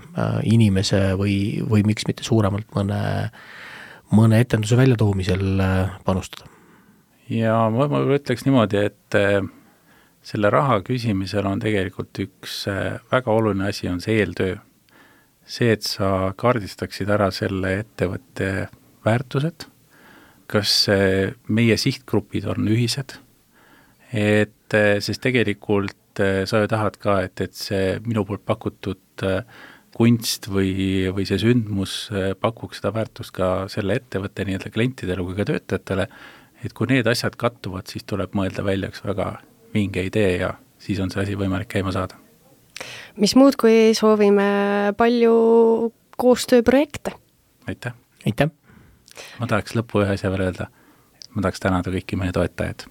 inimese või, või miks mitte suuremalt mõne, mõne etenduse väljatoomisel panustada. Ja ma, ma ütleks niimoodi, et selle raha küsimisel on tegelikult üks väga oluline asi, on see eeltöö. See, et sa kaardistaksid ära selle ettevõtte väärtused, kas meie sihtgrupid on ühised, et sest tegelikult sa ju tahad ka, et, et see minu poolt pakutud kunst või, või see sündmus pakuks seda väärtust ka selle ettevõtte nii-öelda klientidele kui ka töötajatele, et kui need asjad kattuvad, siis tuleb mõelda välja üks väga vinge idee ja siis on see asi võimalik käima saada. Mis muud, kui soovime palju koostööprojekte? Aitäh! Aitäh! ma tahaks lõppu ühe asja veel öelda, ma tahaks tänada kõiki meie toetajad.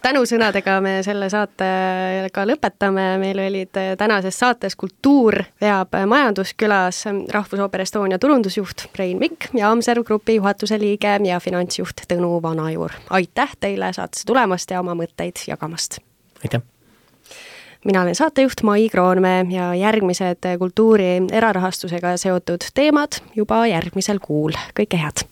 Tänusõnadega me selle saatega lõpetame, meil olid tänases saates Kultuur veab majanduskülas Rahvusooper Estonia turundusjuht Rein Mikk ja Amserv Grupi juhatuse liige ja finantsjuht Tõnu Vanajuur. Aitäh teile saatesse tulemast ja oma mõtteid jagamast. Aitäh! Mina olen saatejuht Mai Kroonmäe ja järgmised kultuuri erarahastusega seotud teemad juba järgmisel kuul. Kõike head!